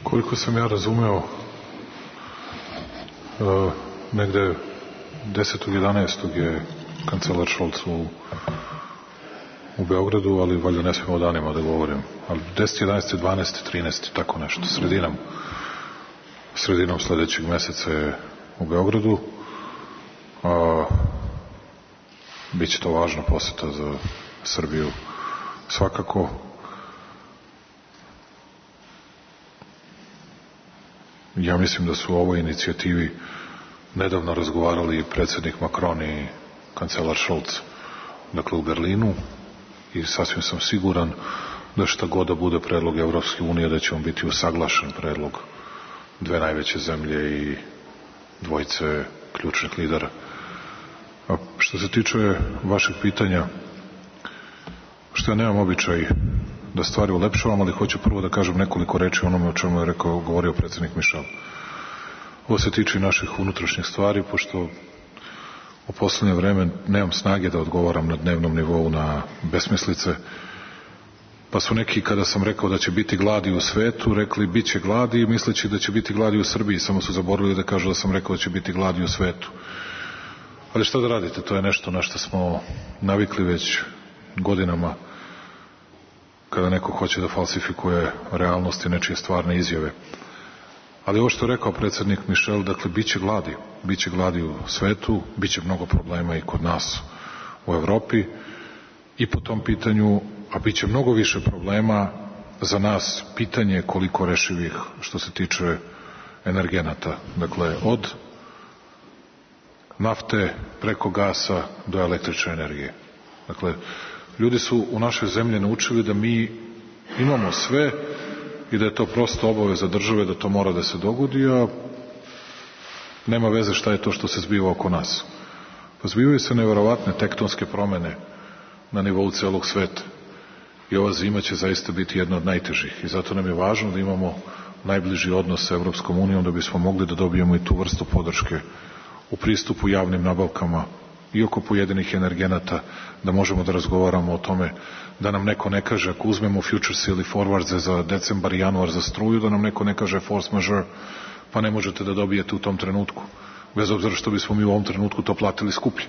Koliko sam ja razumeo, e, negde desetog jedanaestog je kancelar Scholz u u Beogradu, ali valjda ne smemo o danima da govorim. Ali deset, jedanaest, dvanaest, trinaest, tako nešto. Sredinom, sredinom sledećeg meseca je u Beogradu. A, biće to važna poseta za Srbiju. Svakako. Ja mislim da su o ovoj inicijativi nedavno razgovarali i predsjednik Macron i kancelar Scholz, dakle u Berlinu, i sasvim sam siguran da šta god da bude predlog Evropske unije, da će on biti usaglašen predlog dve najveće zemlje i dvojice ključnih lidera. A što se tiče vašeg pitanja, što ja nemam običaj da stvari ulepšavam, ali hoću prvo da kažem nekoliko reči onome o čemu je rekao, govorio predsjednik Mišel. Ovo se tiče naših unutrašnjih stvari, pošto u poslednje vreme nemam snage da odgovaram na dnevnom nivou na besmislice, pa su neki, kada sam rekao da će biti gladi u svetu, rekli bit će gladi, misleći da će biti gladi u Srbiji, samo su zaboravili da kažu da sam rekao da će biti gladi u svetu. Ali šta da radite, to je nešto na što smo navikli već godinama, kada neko hoće da falsifikuje realnost i nečije stvarne izjave. Ali ovo što je rekao predsjednik Mišel, dakle, bit će gladi. Biće gladi u svetu, bit će mnogo problema i kod nas u Evropi i po tom pitanju, a bit će mnogo više problema za nas, pitanje koliko rešivih što se tiče energenata. Dakle, od nafte preko gasa do električne energije. Dakle, Ljudi su u našoj zemlji naučili da mi imamo sve i da je to prosto obaveza države da to mora da se dogodi, a nema veze šta je to što se zbiva oko nas. Pa zbivaju se neverovatne tektonske promene na nivou celog sveta i ova zima će zaista biti jedna od najtežih i zato nam je važno da imamo najbliži odnos sa Evropskom unijom da bismo mogli da dobijemo i tu vrstu podrške u pristupu javnim nabavkama i oko pojedinih energenata, da možemo da razgovaramo o tome, da nam neko ne kaže, ako uzmemo futures ili forwards za decembar i januar za struju, da nam neko ne kaže force majeure, pa ne možete da dobijete u tom trenutku, bez obzira što bismo mi u ovom trenutku to platili skuplje.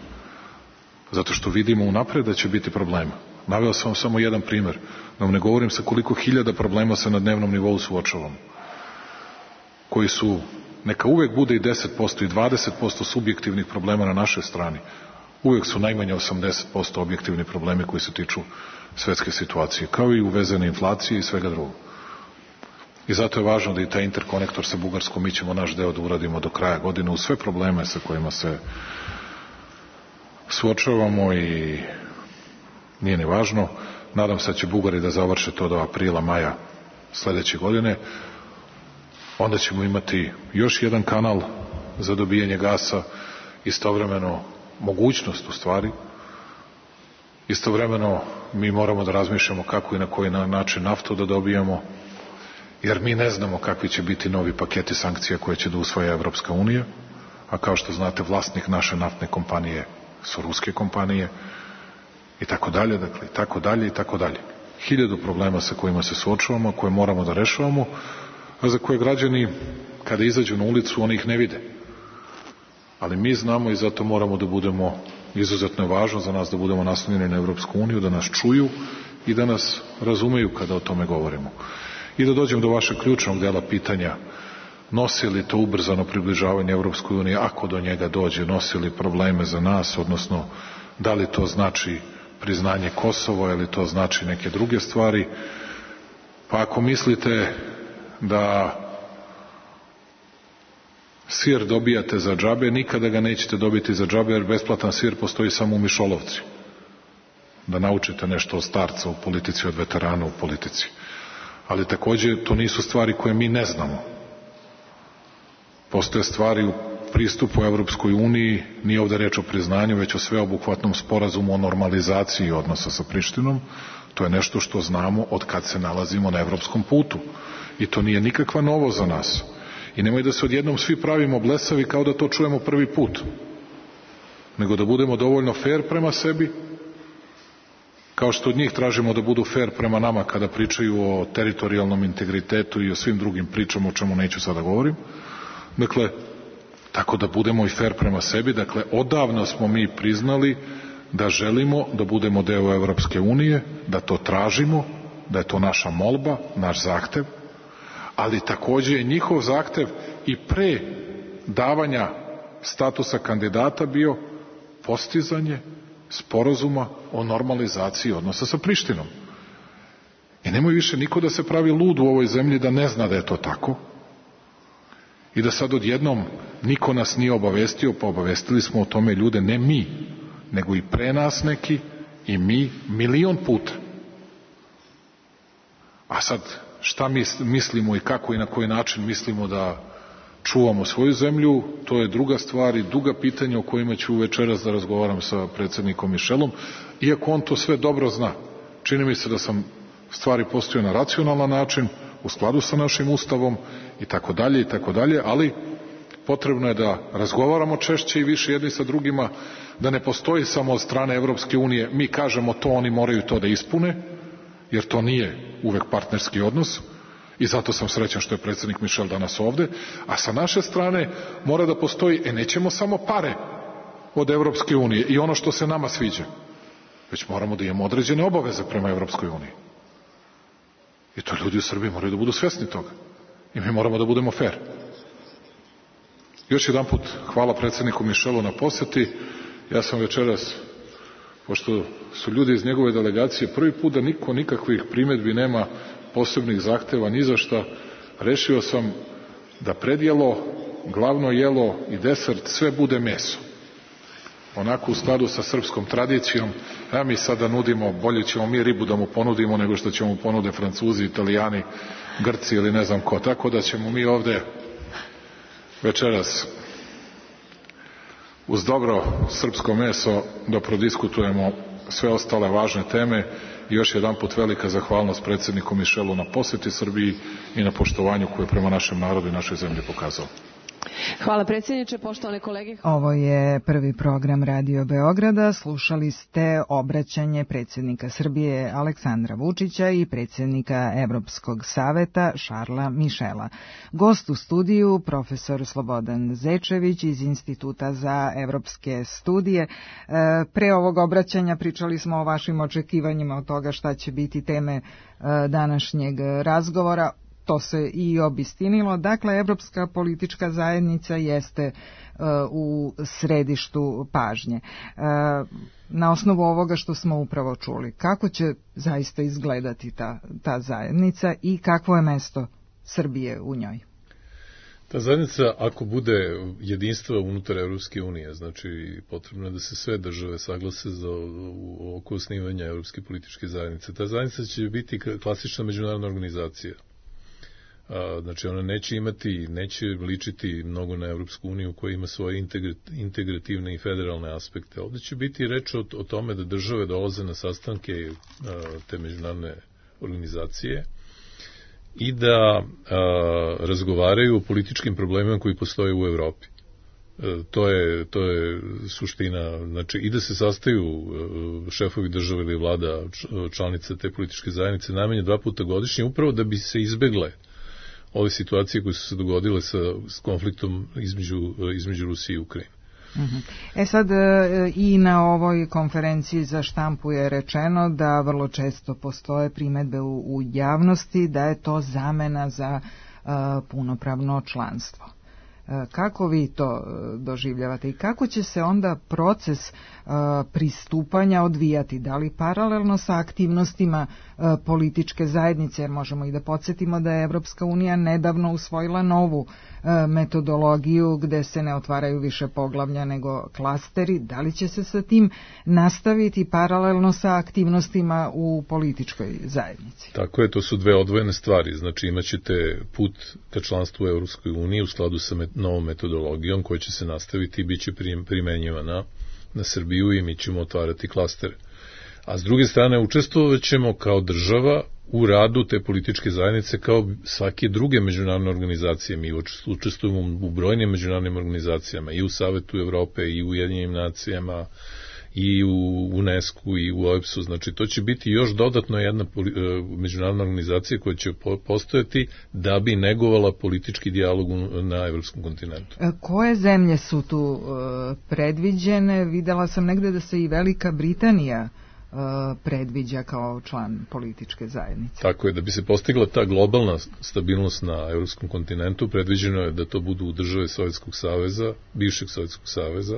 Zato što vidimo unapred da će biti problema. Naveo sam vam samo jedan primer, da vam ne govorim sa koliko hiljada problema se na dnevnom nivou suočavamo, koji su, neka uvek bude i deset posto i dvadeset posto subjektivnih problema na našoj strani, uvek su najmanje osamdeset posto objektivni problemi koji se tiču svetske situacije, kao i uvezene inflacije i svega drugog. I zato je važno da i taj interkonektor sa Bugarskom, mi ćemo naš deo da uradimo do kraja godine u sve probleme sa kojima se suočavamo i nije ni važno. Nadam se da će Bugari da završe to do aprila, maja sledeće godine. Onda ćemo imati još jedan kanal za dobijanje gasa, istovremeno mogućnost u stvari. Istovremeno mi moramo da razmišljamo kako i na koji način naftu da dobijamo, jer mi ne znamo kakvi će biti novi paketi sankcija koje će da usvaja Evropska unija, a kao što znate vlasnik naše naftne kompanije su ruske kompanije i tako dalje, dakle i tako dalje i tako dalje. Hiljadu problema sa kojima se suočavamo, koje moramo da rešavamo, a za koje građani kada izađu na ulicu oni ih ne vide. Ali mi znamo i zato moramo da budemo, izuzetno je važno za nas da budemo naslonjeni na Evropsku uniju, da nas čuju i da nas razumeju kada o tome govorimo. I da dođem do vašeg ključnog dela pitanja, nosi li to ubrzano približavanje Evropskoj uniji, ako do njega dođe, nosi li probleme za nas, odnosno da li to znači priznanje Kosova ili to znači neke druge stvari. Pa ako mislite da sir dobijate za džabe, nikada ga nećete dobiti za džabe, jer besplatan sir postoji samo u mišolovci. Da naučite nešto od starca u politici, od veterana u politici. Ali takođe to nisu stvari koje mi ne znamo. Postoje stvari u pristupu Evropskoj uniji, nije ovde reč o priznanju, već o sveobuhvatnom sporazumu o normalizaciji odnosa sa Prištinom. To je nešto što znamo od kad se nalazimo na evropskom putu. I to nije nikakva novo za nas. I nemoj da se odjednom svi pravimo blesavi kao da to čujemo prvi put. Nego da budemo dovoljno fair prema sebi, kao što od njih tražimo da budu fair prema nama kada pričaju o teritorijalnom integritetu i o svim drugim pričama o čemu neću sada govorim. Dakle, tako da budemo i fair prema sebi. Dakle, odavno smo mi priznali da želimo da budemo deo Evropske unije, da to tražimo, da je to naša molba, naš zahtev, ali takođe je njihov zahtev i pre davanja statusa kandidata bio postizanje sporazuma o normalizaciji odnosa sa Prištinom. I nemoj više niko da se pravi lud u ovoj zemlji da ne zna da je to tako i da sad odjednom niko nas nije obavestio, pa obavestili smo o tome ljude, ne mi, nego i pre nas neki i mi milion puta. A sad, šta mi mislimo i kako i na koji način mislimo da čuvamo svoju zemlju, to je druga stvar i duga pitanja o kojima ću večeras da razgovaram sa predsednikom Mišelom, iako on to sve dobro zna. Čini mi se da sam stvari postavio na racionalan način, u skladu sa našim ustavom i tako dalje i tako dalje, ali potrebno je da razgovaramo češće i više jedni sa drugima, da ne postoji samo od strane Evropske unije, mi kažemo to, oni moraju to da ispune, jer to nije uvek partnerski odnos i zato sam srećan što je predsednik Mišel danas ovde, a sa naše strane mora da postoji, e nećemo samo pare od Evropske unije i ono što se nama sviđa, već moramo da imamo određene obaveze prema Evropskoj uniji. I to ljudi u Srbiji moraju da budu svesni toga. I mi moramo da budemo fair. Još jedan put hvala predsedniku Mišelu na poseti. Ja sam večeras, pošto su ljudi iz njegove delegacije prvi put da niko nikakvih primedbi nema, posebnih zahteva ni za šta, rešio sam da predjelo, glavno jelo i desert sve bude meso. onako u skladu sa srpskom tradicijom. Ja mi sada nudimo, bolje ćemo mi ribu da mu ponudimo nego što ćemo mu ponude Francuzi, Italijani, Grci ili ne znam ko. Tako da ćemo mi ovde večeras uz dobro srpsko meso da prodiskutujemo sve ostale važne teme i još jedan put velika zahvalnost predsjedniku Mišelu na poseti Srbiji i na poštovanju koje je prema našem narodu i našoj zemlji pokazao. Hvala predsjedniče, poštovane kolege. Ovo je prvi program Radio Beograda. Slušali ste obraćanje predsjednika Srbije Aleksandra Vučića i predsjednika Evropskog saveta Šarla Mišela. Gost u studiju profesor Slobodan Zečević iz Instituta za evropske studije. Pre ovog obraćanja pričali smo o vašim očekivanjima od toga šta će biti teme današnjeg razgovora. To se i obistinilo. Dakle, Evropska politička zajednica jeste uh, u središtu pažnje. Uh, na osnovu ovoga što smo upravo čuli, kako će zaista izgledati ta, ta zajednica i kakvo je mesto Srbije u njoj? Ta zajednica, ako bude jedinstva unutar Evropske unije, znači potrebno je da se sve države saglase za oko osnivanja Evropske političke zajednice. Ta zajednica će biti klasična međunarodna organizacija. Znači ona neće imati, neće ličiti mnogo na Evropsku uniju koja ima svoje integrativne i federalne aspekte. Ovdje će biti reč o, o tome da države dolaze na sastanke te međunarodne organizacije i da a, razgovaraju o političkim problemima koji postoje u Evropi. E, to je, to je suština, znači i da se sastaju šefovi države ili vlada članice te političke zajednice najmanje dva puta godišnje, upravo da bi se izbegle ove situacije koje su se dogodile sa, s konfliktom između, između Rusije i Ukrajine. E sad i na ovoj konferenciji za štampu je rečeno da vrlo često postoje primedbe u, u javnosti da je to zamena za uh, punopravno članstvo. Kako vi to doživljavate i kako će se onda proces uh, pristupanja odvijati? Da li paralelno sa aktivnostima uh, političke zajednice, jer možemo i da podsjetimo da je Evropska unija nedavno usvojila novu uh, metodologiju gde se ne otvaraju više poglavlja nego klasteri. Da li će se sa tim nastaviti paralelno sa aktivnostima u političkoj zajednici? Tako je, to su dve odvojene stvari. Znači imaćete put ka članstvu u Evropskoj uniji u skladu sa met- novom metodologijom koja će se nastaviti i bit će primenjivana na Srbiju i mi ćemo otvarati klastere. A s druge strane učestvovat ćemo kao država u radu te političke zajednice kao svake druge međunarodne organizacije. Mi učestvujemo u brojnim međunarodnim organizacijama i u Savetu Evrope i u Ujedinjenim nacijama i u UNESCO i u O E B S U. Znači to će biti još dodatno jedna međunarodna organizacija koja će postojati da bi negovala politički dijalog na evropskom kontinentu. Koje zemlje su tu predviđene? Videla sam negde da se i Velika Britanija predviđa kao član političke zajednice. Tako je, da bi se postigla ta globalna stabilnost na evropskom kontinentu, predviđeno je da to budu države Sovjetskog saveza, bivšeg Sovjetskog saveza,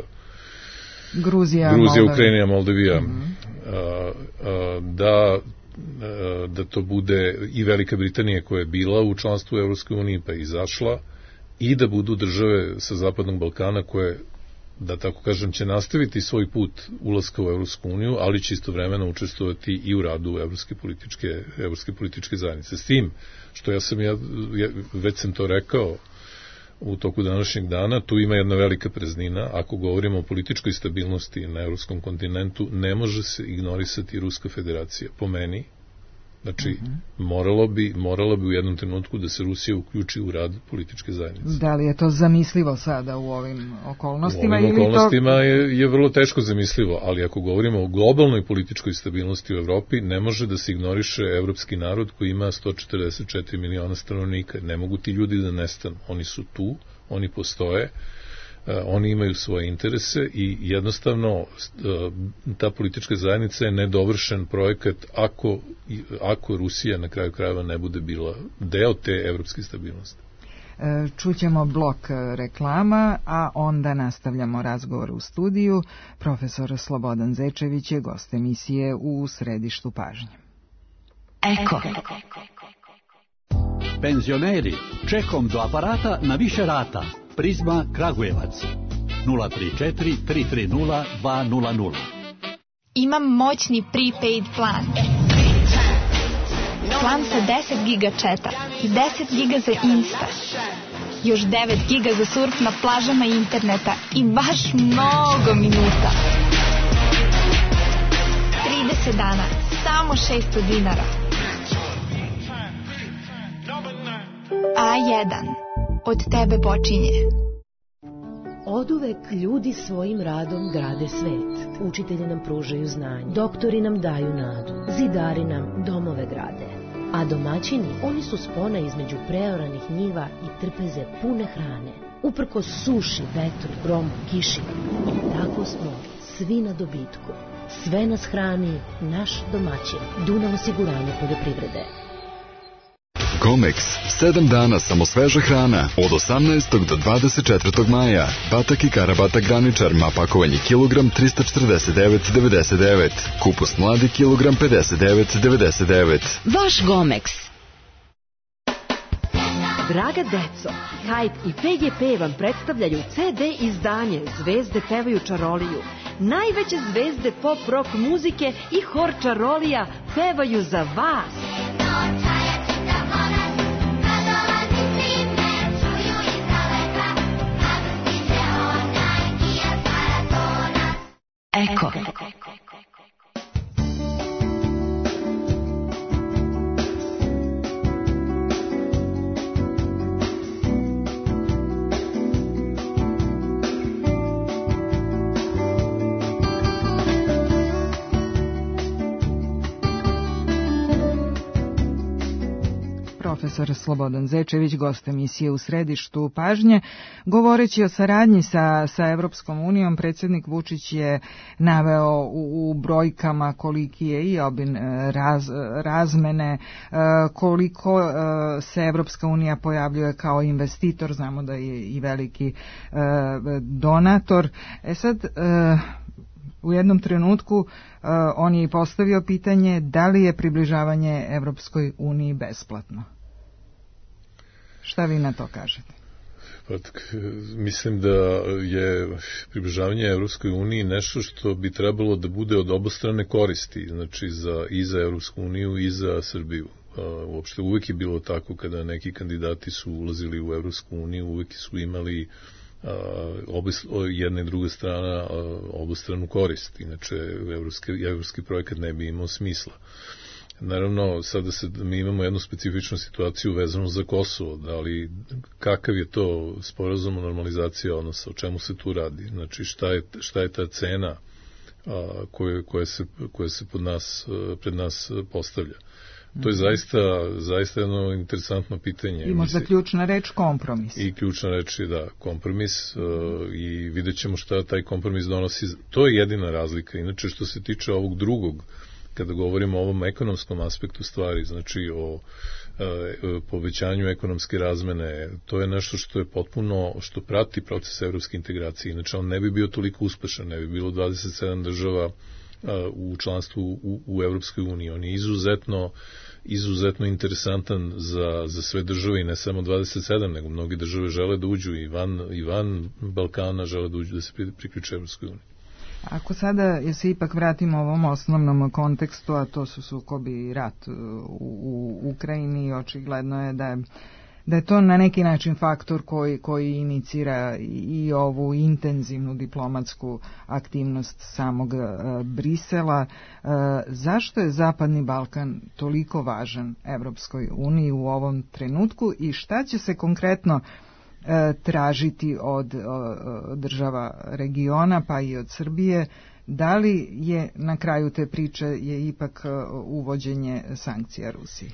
Gruzija, Gruzija Moldavija. Ukrajina, Moldavija, Mm-hmm. a, a, da, a, da to bude i Velika Britanija koja je bila u članstvu Evropskoj uniji pa je izašla i da budu države sa Zapadnog Balkana koje, da tako kažem, će nastaviti svoj put ulaska u Evropsku uniju, ali će istovremeno učestvovati i u radu Evropske političke, Evropske političke zajednice. S tim, što ja sam, ja, ja već sam to rekao u toku današnjeg dana, tu ima jedna velika praznina. Ako govorimo o političkoj stabilnosti na evropskom kontinentu, ne može se ignorisati Ruska federacija. Po meni, znači, uh-huh. moralo bi, moralo bi u jednom trenutku da se Rusija uključi u rad političke zajednice. Da li je to zamislivo sada u ovim okolnostima? U ovim ili okolnostima to... je, je vrlo teško zamislivo, ali ako govorimo o globalnoj političkoj stabilnosti u Evropi, ne može da se ignoriše evropski narod koji ima sto četrdeset četiri miliona stanovnika. Ne mogu ti ljudi da nestanu. Oni su tu, oni postoje, oni imaju svoje interese i jednostavno ta politička zajednica je nedovršen projekat ako, ako Rusija na kraju krajeva ne bude bila deo te evropske stabilnosti. Čućemo blok reklama, a onda nastavljamo razgovor u studiju. Profesor Slobodan Zečević je gost emisije u središtu pažnje. Eko. Penzioneri, čekom do aparata na više rata. Prizma Kragujevac. nula tri četiri tri tri nula dva nula nula. Imam moćni prepaid plan. Plan sa deset giga četa i deset giga za Insta. Još devet giga za surf na plažama interneta i baš mnogo minuta. trideset dana, samo šesto dinara. A jedan. Od tebe počinje. Oduvek ljudi svojim radom grade svet. Učitelji nam pružaju znanje, doktori nam daju nadu, zidari nam domove grade. A domaćini, oni su spona između preoranih njiva i trpeze pune hrane. Uprkos suši, vetru, gromu, kiši. Tako smo svi na dobitku. Sve nas hrani naš domaćin. Dunav osiguranje poljoprivrede. Comex. Sedam dana samo sveža hrana. Od osamnaestog do dvadeset četvrtog maja. Batak i karabatak graničar. Ma pakovanje kilogram tristo četrdeset devet devedeset devet. Kupus mladi kilogram pedeset devet devedeset devet. Vaš Gomex. Draga deco, Hype i P G P vam predstavljaju ce de izdanje Zvezde pevaju čaroliju. Najveće zvezde pop rock muzike i hor čarolija pevaju za vas. Eko. Profesor Slobodan Zečević, gost emisije U središtu pažnje. Govoreći o saradnji sa, sa Evropskom unijom, predsjednik Vučić je naveo u, u brojkama koliki je i obim raz, razmene, koliko se Evropska unija pojavljuje kao investitor, znamo da je i veliki donator. E sad, u jednom trenutku on je i postavio pitanje da li je približavanje Evropskoj uniji besplatno. Šta vi na to kažete? Pa, mislim da je približavanje Evropskoj uniji nešto što bi trebalo da bude od obostrane koristi, znači za, i za Evropsku uniju i za Srbiju. Uopšte uvek je bilo tako kada neki kandidati su ulazili u Evropsku uniju, uvek su imali obis, jedna i druga strana obostranu korist, inače evropski, evropski projekat ne bi imao smisla. Naravno, sada se, mi imamo jednu specifičnu situaciju vezanu za Kosovo, da li, kakav je to sporazum o normalizaciji odnosa, o čemu se tu radi, znači šta je, šta je ta cena a, koje, koje, se, koje se pod nas, pred nas postavlja. To je zaista, zaista jedno interesantno pitanje. I možda ključna reč kompromis. I ključna reč je da, kompromis uh, i vidjet ćemo šta taj kompromis donosi. To je jedina razlika. Inače, što se tiče ovog drugog, kada govorimo o ovom ekonomskom aspektu stvari, znači o uh, povećanju ekonomske razmene, to je nešto što je potpuno, što prati proces evropske integracije. Inače, on ne bi bio toliko uspešan, ne bi bilo dvadeset sedam država uh, u članstvu u, u Evropskoj uniji. On je izuzetno izuzetno interesantan za, za sve države i ne samo dvadeset sedam, nego mnogi države žele da uđu i van, i van Balkana žele da uđu, da se priključe Evropskoj uniji. Ako sada se ipak vratimo ovom osnovnom kontekstu, a to su sukobi i rat u, u Ukrajini, očigledno je da je da je to na neki način faktor koji, koji inicira i ovu intenzivnu diplomatsku aktivnost samog e, Brisela. E, zašto je Zapadni Balkan toliko važan Evropskoj uniji u ovom trenutku i šta će se konkretno e, tražiti od o, država regiona pa i od Srbije? Da li je na kraju te priče je ipak uvođenje sankcija Rusiji?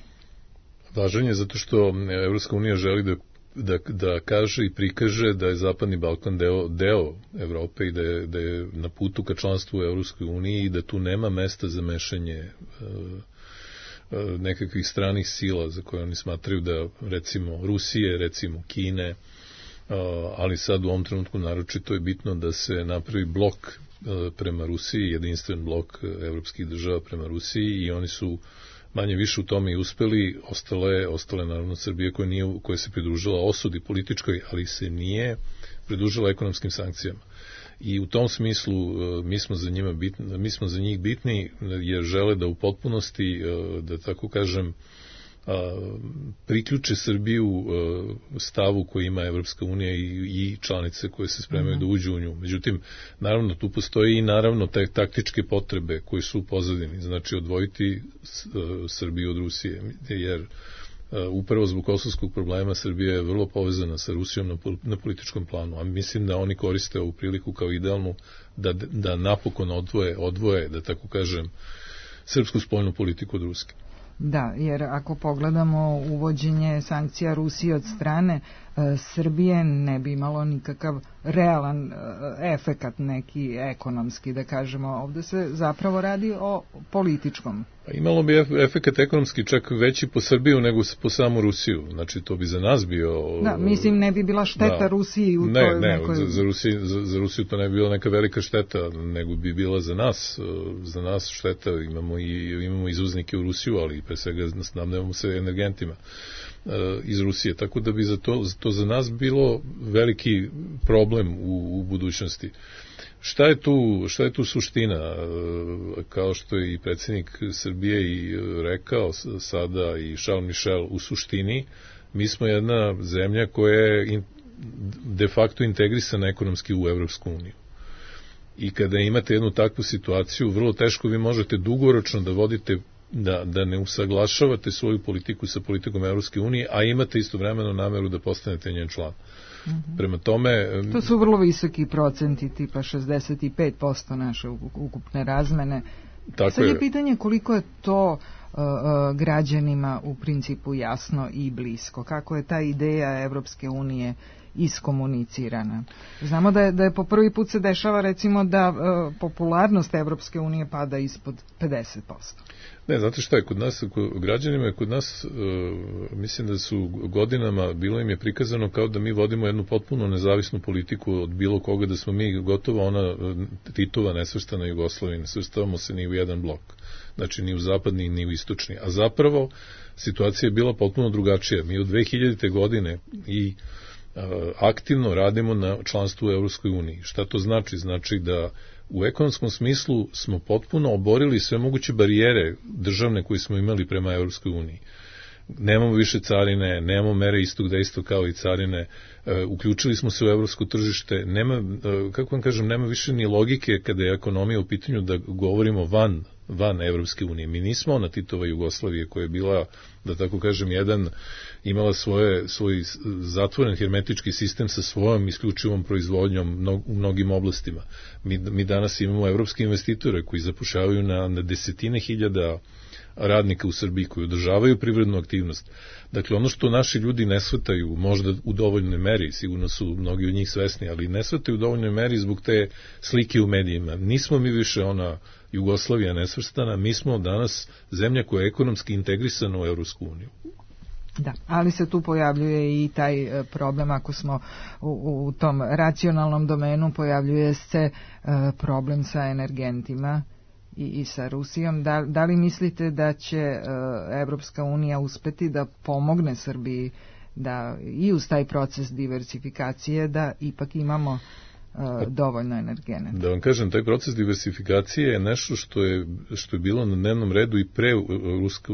Važan je zato što Evropska unija želi da, da, da kaže i prikaže da je Zapadni Balkan deo, deo Evrope i da je, da je na putu ka članstvu u Evropskoj uniji i da tu nema mesta za mešanje uh, nekakvih stranih sila za koje oni smatraju da, recimo Rusije, recimo Kine, uh, ali sad u ovom trenutku naročito je bitno da se napravi blok uh, prema Rusiji, jedinstven blok evropskih država prema Rusiji i oni su manje više u tome i uspeli, ostale, ostale naravno Srbije koja, nije, koja se pridružila osudi političkoj, ali se nije pridružila ekonomskim sankcijama. I u tom smislu mi smo za njima bitni, mi smo za njih bitni jer žele da u potpunosti, da tako kažem, priključe Srbiju stavu koji ima Evropska unija i, i članice koje se spremaju mm-hmm. da uđu u nju. Međutim, naravno, tu postoji i naravno te taktičke potrebe koje su u pozadini. Znači, odvojiti Srbiju od Rusije, jer upravo zbog kosovskog problema Srbija je vrlo povezana sa Rusijom na, na političkom planu, a mislim da oni koriste ovu priliku kao idealnu da, da napokon odvoje, odvoje, da tako kažem, srpsku spoljnu politiku od Ruske. Da, jer ako pogledamo uvođenje sankcija Rusije od strane e, Srbije ne bi imalo nikakav realan e, efekat neki ekonomski, da kažemo. Ovde se zapravo radi o političkom. Pa imalo bi efekat ekonomski čak veći po Srbiju nego po samu Rusiju. Znači to bi za nas bio... Da, mislim ne bi bila šteta da. Rusiji u ne, toj ne, nekoj... za, za, Rusiju, za, za Rusiju to ne bi bila neka velika šteta, nego bi bila za nas. Za nas šteta, imamo i imamo izvoznike u Rusiju, ali pre svega snabdevamo se energentima iz Rusije, tako da bi za to, to za nas bilo veliki problem u, u budućnosti. Šta je tu, šta je tu suština? Kao što je i predsjednik Srbije i rekao sada i Charles Michel, u suštini mi smo jedna zemlja koja je de facto integrisana ekonomski u Evropsku uniju. I kada imate jednu takvu situaciju, vrlo teško vi možete dugoročno da vodite Da, da ne usaglašavate svoju politiku sa politikom Evropske unije, a imate istovremeno nameru da postanete njen član. Mm-hmm. Prema tome... To su vrlo visoki procenti, tipa šezdeset pet posto naše ukupne razmene. Tako Sad je, je pitanje koliko je to uh, uh, građanima u principu jasno i blisko. Kako je ta ideja Evropske unije iskomunicirana. Znamo da je, da je po prvi put se dešava recimo da uh, popularnost Evropske unije pada ispod pedeset posto. Ne, znate šta je, kod nas, kod građanima je kod nas, uh, mislim da su godinama, bilo im je prikazano kao da mi vodimo jednu potpuno nezavisnu politiku od bilo koga, da smo mi gotovo ona Titova nesvrstana Jugoslavija, ne svrstavamo se ni u jedan blok, znači ni u zapadni ni u istočni, a zapravo situacija je bila potpuno drugačija. Mi od dve hiljadite godine i aktivno radimo na članstvu u Evropskoj uniji. Šta to znači? Znači da u ekonomskom smislu smo potpuno oborili sve moguće barijere državne koje smo imali prema Evropskoj uniji. Nemamo više carine, nemamo mere istog dejstva kao i carine, uključili smo se u evropsko tržište, nema, kako vam kažem, nema više ni logike kada je ekonomija u pitanju da govorimo van van Evropske unije. Mi nismo ona Titova Jugoslavije koja je bila, da tako kažem, jedan, imala svoje, svoj zatvoren hermetički sistem sa svojom isključivom proizvodnjom u mnogim oblastima. Mi, mi danas imamo evropske investitore koji zapošljavaju na, na desetine hiljada radnika u Srbiji koji održavaju privrednu aktivnost. Dakle, ono što naši ljudi ne shvataju, možda u dovoljnoj meri, sigurno su mnogi od njih svesni, ali ne shvataju u dovoljnoj meri zbog te slike u medijima. Nismo mi više ona Jugoslavija nesvrstana, mi smo danas zemlja koja je ekonomski integrisana u Evropsku uniju. Da, ali se tu pojavljuje i taj problem, ako smo u, u tom racionalnom domenu, pojavljuje se problem sa energentima i, i sa Rusijom. Da, da li mislite da će Evropska unija uspeti da pomogne Srbiji da i uz taj proces diversifikacije da ipak imamo dovoljno energenata? Da vam kažem, taj proces diversifikacije je nešto što je, što je bilo na dnevnom redu i pre, rusko,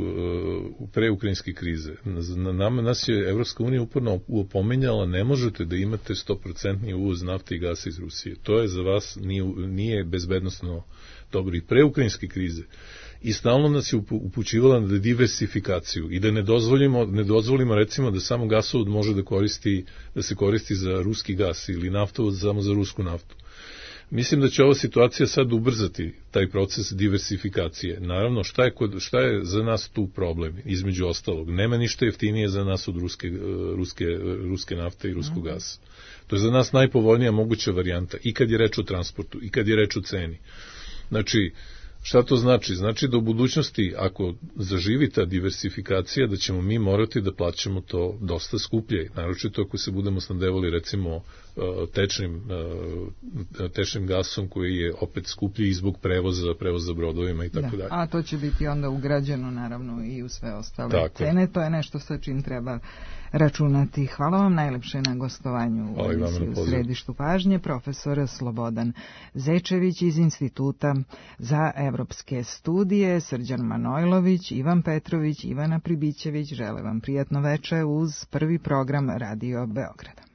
pre ukrajinske krize. Na nama, nas je Evropska unija uporno upominjala, ne možete da imate sto posto uvoz nafte i gasa iz Rusije. To je za vas nije, nije bezbednosno dobro. I pre ukrajinske krize i stalno nas je upućivala na diversifikaciju i da ne dozvolimo, ne dozvolimo recimo da samo gasovod može da koristi, da se koristi za ruski gas ili naftovod samo za rusku naftu. Mislim da će ova situacija sad ubrzati taj proces diversifikacije. Naravno, šta je, kod, šta je za nas tu problem, između ostalog? Nema ništa jeftinije za nas od ruske, ruske, ruske nafte i ruskog gasa. To je za nas najpovoljnija moguća varijanta i kad je reč o transportu i kad je reč o ceni. Znači, Šta to znači? Znači da u budućnosti, ako zaživi ta diversifikacija, da ćemo mi morati da plaćamo to dosta skuplje, naročito ako se budemo snabdevali recimo tečnim, tečnim gasom koji je opet skuplji i zbog prevoza, prevoza brodovima i tako dalje. A to će biti onda ugrađeno naravno i u sve ostale tako cene, to je nešto sa čim treba računati. Hvala vam najlepše na gostovanju u emisiji U središtu pažnje, profesor Slobodan Zečević iz Instituta za evropske studije, Srđan Manojlović, Ivan Petrović, Ivana Pribićević. Žele vam prijatno veče uz prvi program Radio Beograda.